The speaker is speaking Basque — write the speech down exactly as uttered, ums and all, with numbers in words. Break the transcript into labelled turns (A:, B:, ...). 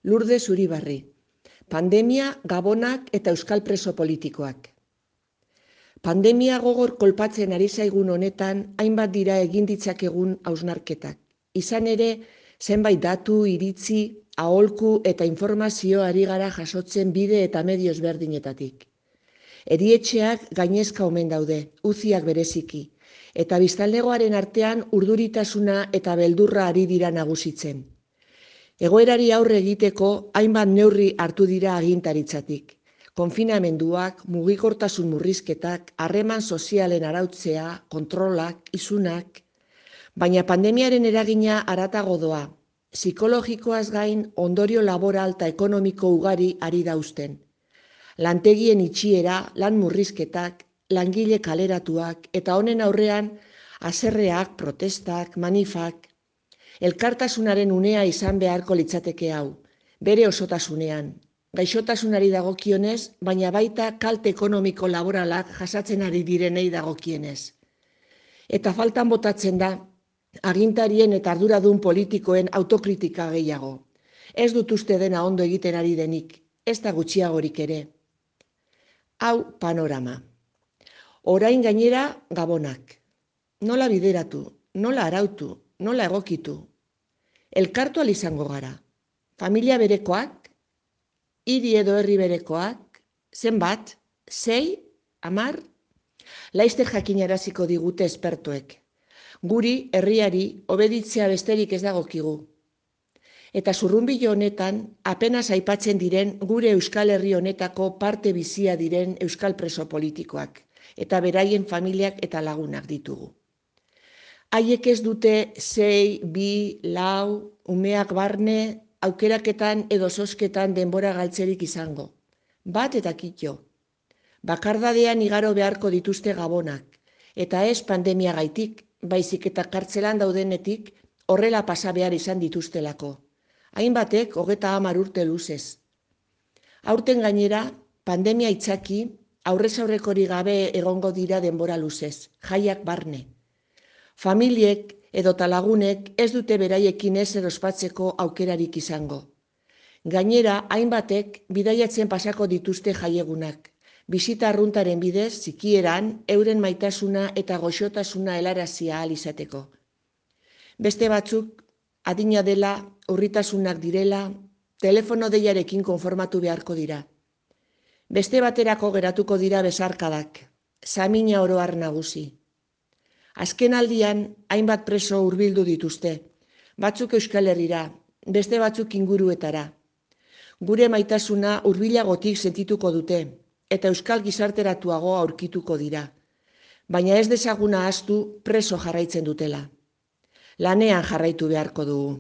A: Lourdes Uribarri. Pandemia, gabonak eta euskal preso politikoak. Pandemia gogor kolpatzen ari zaigun honetan, hainbat dira egin ditzakegun hausnarketak. Izan ere, zenbait datu, iritzi, aholku eta informazio ari gara jasotzen bide eta medio ezberdinetatik. Erietxeak gainezka omen daude, uziak bereziki, eta biztanlegoaren artean urduritasuna eta beldurra ari dira nagusitzen. Egoerari aurre egiteko hainbat neurri hartu dira agintaritzatik. Konfinamenduak, mugikortasun murrizketak, harreman sozialen arautzea, kontrolak, isunak. Baina pandemiaren eragina haratago doa. Psikologikoaz gain ondorio laboral eta ekonomiko ugari ari dauzten. Lantegien itxiera, lan murrizketak, langile kaleratuak eta honen aurrean haserreak, protestak, manifak. Elkartasunaren unea izan beharko litzateke hau, bere osotasunean. Gaixotasunari dagokionez, baina baita kalte ekonomiko laboralak jasatzen ari direnei dagokienez. Eta faltan botatzen da, agintarien eta arduradun politikoen autokritika gehiago. Ez dut uste dena ondo egiten ari denik, ez da gutxiagorik ere. Hau panorama. Orain gainera gabonak. Nola bideratu, nola arautu, nola egokitu. Elkartu ahal izango gara. Familia berekoak, hiri edo herri berekoak, zenbat, sei, hamar, laizter jakinaraziko digute espertoek. Guri, herriari, obeditzea besterik ez dagokigu. Eta zurrunbilo honetan, apenas aipatzen diren gure Euskal Herri honetako parte bizia diren euskal preso politikoak, eta beraien familiak eta lagunak ditugu. Haiek ez dute sei, bi, lau, umeak barne, aukeraketan edo zozketan denbora galtzerik izango. Bat eta kitxo. Bakardadean igaro beharko dituzte gabonak, eta ez pandemia gaitik, baizik eta kartzelan daudenetik horrela pasa behar izan dituztelako. Hainbatek hogeta hamar urte luzez. Aurten gainera, pandemia itzaki, aurrez aurrekori gabe egongo dira denbora luzez, jaiak barne. Familiek edota lagunek ez dute beraiekin ezer ospatzeko aukerarik izango. Gainera, hainbatek bidaiatzen pasako dituzte jaiegunak. Bisita arruntaren bidez, zikieran, euren maitasuna eta goxotasuna helarazia ahal izateko. Beste batzuk, adina dela, urritasunak direla, telefono deiarekin konformatu beharko dira. Beste baterako geratuko dira besarkadak, samina oro har nagusi. Azken aldian, hainbat preso hurbildu dituzte, batzuk Euskal Herrira, beste batzuk inguruetara. Gure maitasuna hurbilagotik sentituko dute, eta euskal gizarteratuago aurkituko dira. Baina ez dezaguna ahaztu preso jarraitzen dutela. Lanean jarraitu beharko dugu.